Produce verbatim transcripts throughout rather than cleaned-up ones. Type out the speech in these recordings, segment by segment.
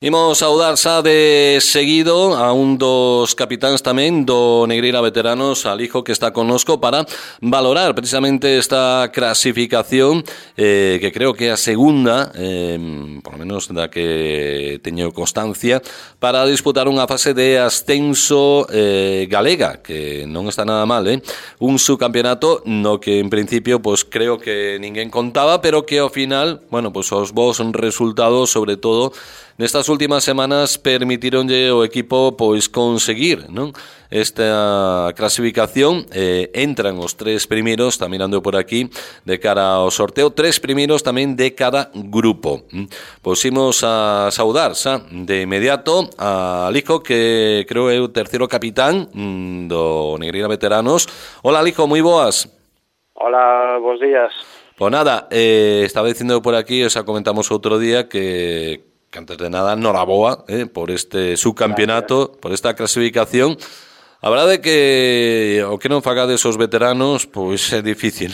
Imos saudar xa de seguido a un dos capitáns tamén do Negreira Veteranos, Alijo, que está connosco para valorar precisamente esta clasificación eh, que creo que é a segunda, eh, por lo menos da que teño constancia, para disputar unha fase de ascenso eh, galega, que non está nada mal, eh? Un subcampeonato no que en principio pues creo que ninguén contaba, pero que ao final, bueno, pues os bons resultados, sobre todo nestas últimas semanas, permitironlle ao equipo pois conseguir, non? Esta clasificación. eh, entran os tres primeiros, está mirando por aquí, de cara ao sorteo, tres primeiros tamén de cada grupo. Pois imos a saudar xa de inmediato a Alijo, que creo é o terceiro capitán do Negreira Veteranos. Hola, Alijo, moi boas. Hola, bons días. Pois nada, eh, estaba dicindo por aquí, o sea, comentamos outro día que que antes de nada, noraboa eh, por este subcampeonato, por esta clasificación. A verdade é que o que non fagades os veteranos, pois é difícil,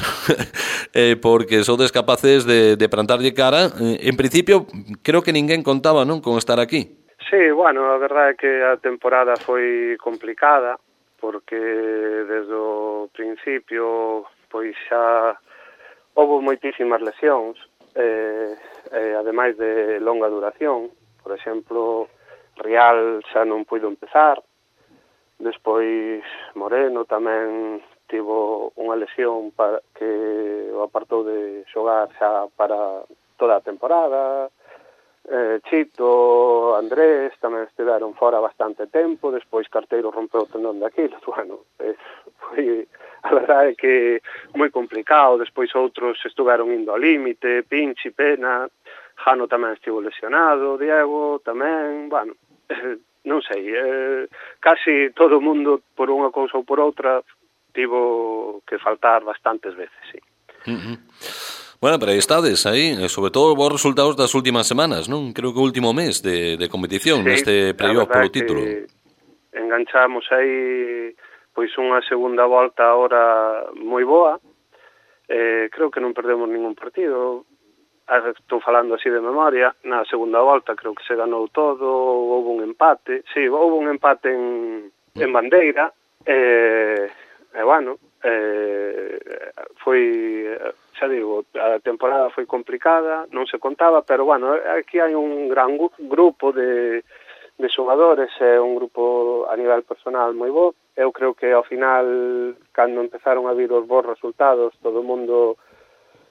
eh, porque sodes capaces de, de plantarlle cara. En principio, creo que ninguén contaba, non, con estar aquí. Sí, bueno, a verdade é que a temporada foi complicada, porque desde o principio, pois xa houve moitísimas lesións, eh, eh, ademais de longa duración. Por exemplo, Rial xa non puido empezar, despois Moreno tamén tivo unha lesión para que o apartou de xogar xa para toda a temporada. eh, Chito, Andrés tamén estiveron fora bastante tempo, despois Carteiro rompeu o tendón de Aquiles. Bueno, eh, foi, a verdade é que moi complicado. Despois outros estuveron indo ao límite, Pinchi, Pena, Jano tamén estivo lesionado, Diego tamén, bueno, eh, non sei, eh, casi todo o mundo por unha cousa ou por outra tivo que faltar bastantes veces, sí. Uh-huh. Bueno, pero aí estades, aí, sobre todo os bons resultados das últimas semanas, non? Creo que o último mes de, de competición, sí, neste playoff polo título. Enganchamos aí pois unha segunda volta ahora moi boa. Eh, creo que non perdemos ningún partido. Estou falando así de memoria. Na segunda volta creo que se ganou todo, houve un empate. Sí, houve un empate en, en Bandeira. Eh, e, bueno, eh, foi, xa digo, a temporada foi complicada, non se contaba, pero, bueno, aquí hai un gran grupo de, de xogadores, é un grupo a nivel personal moi bo. Eu creo que ao final, cando empezaron a vir os bons resultados, todo o mundo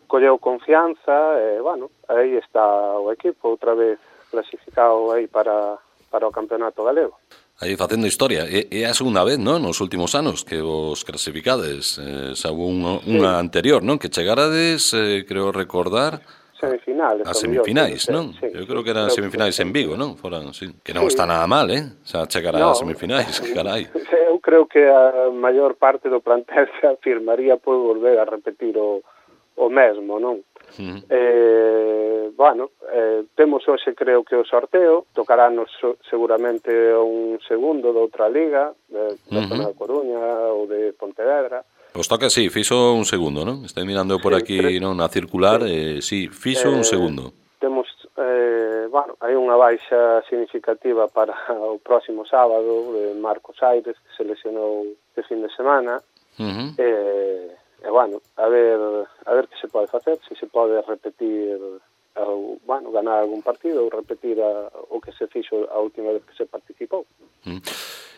colleu confianza, e, bueno, aí está o equipo, outra vez clasificado aí para, para o campeonato galego. Aí facendo historia, é, é a segunda vez, non, nos últimos anos que vos clasificades, eh, xa unha, sí. unha anterior, non, que chegarades, eh, creo recordar, semifinales, a semifinais, non? Sí, eu creo que eran semifinais en Vigo, non? Foran, sí. Que non sí. está nada mal, eh? Xa chegar a no. semifinais, carai. Eu creo que a maior parte do plantel se afirmaría por volver a repetir o, o mesmo, non? Uh-huh. Eh, bueno, eh, temos hoxe creo que o sorteo, tocarános seguramente un segundo de outra liga, de, de uh-huh. zona de Coruña ou de Pontevedra. Pois toca, sí, fixo un segundo, non? Estou mirando por sí, aquí, tres... non, na circular, sí, eh, sí fixo eh, un segundo. Temos, eh, bueno, hai unha baixa significativa para o próximo sábado de Marcos Aires, que se lesionou de fin de semana. Uh-huh. Eh, E, bueno, a ver a ver que se pode facer, se se pode repetir, ou, bueno, ganar algún partido ou repetir a, o que se fixo a última vez que se participou. Mm.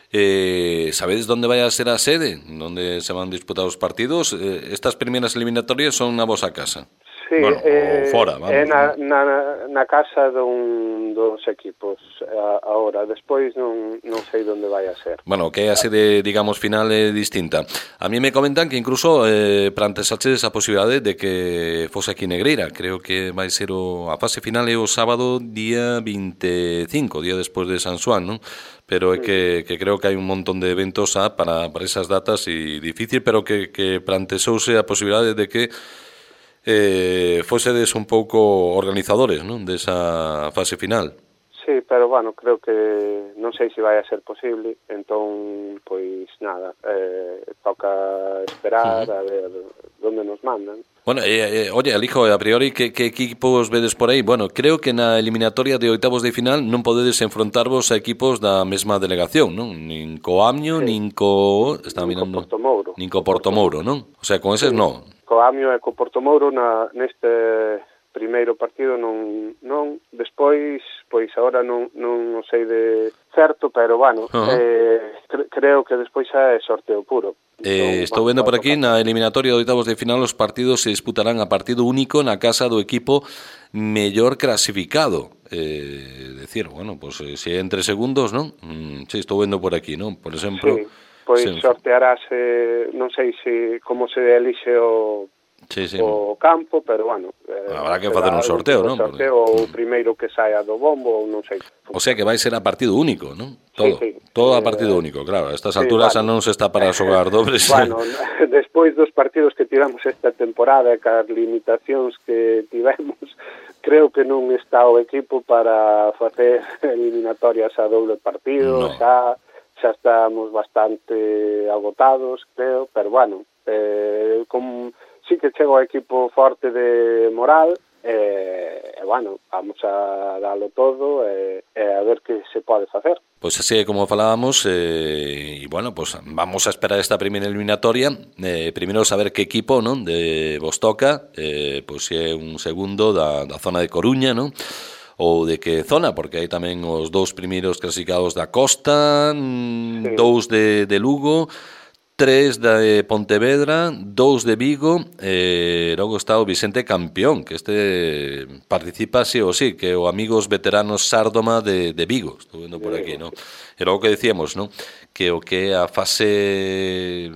Eh, sabedes onde vai a ser a sede? Onde se van disputar os partidos? Eh, estas primeiras eliminatorias son na vosa casa? Sí, bueno, eh, fora, vamos. É na, na, na casa dun, dos equipos a, ahora, despois non, non sei onde vai a ser. Bueno, que é a sede, digamos, final é distinta. A mí me comentan que incluso eh, plantesaches a posibilidade de que fose aquí Negreira. Creo que vai ser o, a fase final é o sábado día veinticinco, día despois de San Xuan, non? Pero é que, que creo que hai un montón de eventos ah, para, para esas datas e difícil, pero que, que plantesouse a posibilidade de que eh, fosedes un pouco organizadores, non, desa fase final. Sí, sí, pero bueno, creo que non sei se vai a ser posible, entón, pois nada, eh, toca esperar uh-huh. a ver onde nos mandan. Bueno, eh, eh, oye, Alijo, a priori, que, que equipos vedes por aí? Bueno, creo que na eliminatoria de oitavos de final non podedes enfrontarvos a equipos da mesma delegación, non? Nin co Amio, sí. nin co... Está nin mirando... co Portomouro. Nin co Portomouro, non? O sea, con eses sí. non. Co Amio e co Portomouro na, neste primeiro partido non, non, despois, pois agora non, non o sei de certo, pero bueno, uh-huh. eh, cre- creo que despois é sorteo puro. Eh, estou vendo por aquí, na eliminatoria de oitavos de final os partidos se disputarán a partido único na casa do equipo mellor clasificado. Eh, decir, bueno, pues se é entre segundos, non? Mm, sí, estou vendo por aquí, non? Por exemplo... Sí, pois se... sortearase, non sei se como se elixe o... Sí, sí. o campo, pero bueno, eh, habrá que facer un sorteo, non? Sorteo ou o primeiro que saia do bombo, ou non sei. O sea que vai ser a partido único, non? Todo, sí, sí. todo a partido eh, único, claro. A estas sí, alturas bueno, non se está para xogar dobles. Bueno, despois dos partidos que tiramos esta temporada e cas limitacións que tivemos, creo que non está o equipo para facer eliminatorias a doble partido, no. xa xa estamos bastante agotados, creo, pero bueno, eh, como sí que chega o equipo forte de moral e, eh, bueno, vamos a darlo todo e, eh, a ver que se pode facer. Pois así como falábamos, e eh, bueno, pues vamos a esperar esta primeira eliminatoria, eh, primeiro saber que equipo, non, de vos toca, eh, pois se é un segundo da, da zona de Coruña, non? Ou de que zona, porque hai tamén os dous primeiros clasificados da Costa, sí. dous de, de Lugo, tres de Pontevedra, dous de Vigo, e logo está o Vicente Campeón, que este participa sí ou sí, que o amigos veteranos Sárdoma de, de Vigo, estou vendo por aquí, non? E logo que decíamos, non? Que o que a fase,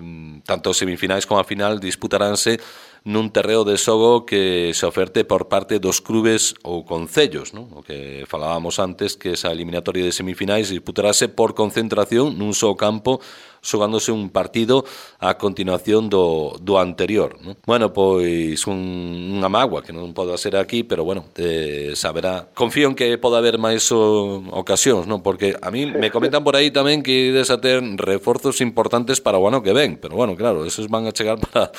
tanto semifinais como a final, disputaránse nun terreo de xogo que se oferte por parte dos clubes ou concellos, non? O que falábamos antes, que esa eliminatoria de semifinais disputarase por concentración nun só campo, xogándose un partido a continuación do, do anterior, non? Bueno, pois un, unha mágoa que non pode ser aquí, pero bueno, eh, saberá. Confío en que poda haber máis o, ocasións, non? Porque a mí me comentan por aí tamén que ides a ter reforzos importantes para o ano que ven, pero bueno, claro, esos van a chegar para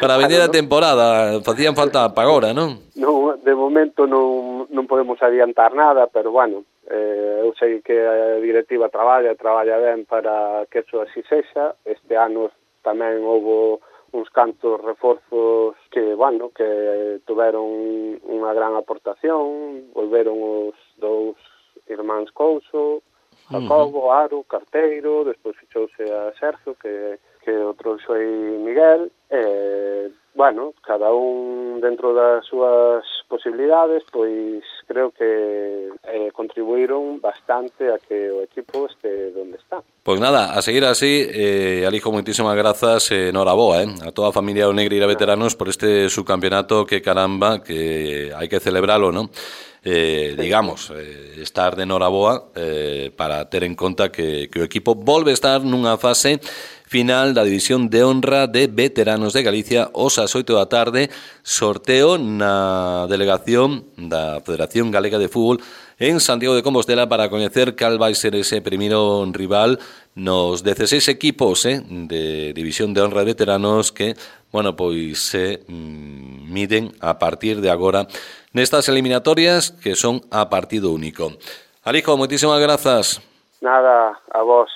para a vindeira temporada, facían falta para agora, non? Non, de momento non, non podemos adiantar nada, pero bueno, eh, eu sei que a directiva traballa, traballa ben para que eso así sexa. Este ano tamén houve uns cantos reforzos que, bueno, que tuveron unha gran aportación, volveron os dous irmáns Couso, Jacobo, Aro, Carteiro, despois fichouse a Sergio, que que outro foi Miguel, e, bueno, cada un dentro das súas posibilidades, pois creo que eh, contribuíron bastante a que o equipo este donde está. Pois nada, a seguir así, eh, Alijo, moitísimas grazas, eh, noraboa, eh, a toda a familia do Negreira Veteranos por este subcampeonato que caramba, que hai que celebralo, non? Eh, digamos, eh, estar de noraboa eh, para ter en conta que, que o equipo volve a estar nunha fase final da División de Honra de Veteranos de Galicia os ás oito da tarde, sorteo na delegación da Federación Galega de Fútbol en Santiago de Compostela para coñecer cal vai ser ese primeiro rival nos dezaseis equipos eh, de División de Honra de Veteranos que, bueno, pois se mm, miden a partir de agora nestas eliminatorias que son a partido único. Alijo, moitísimas grazas. Nada, a vos.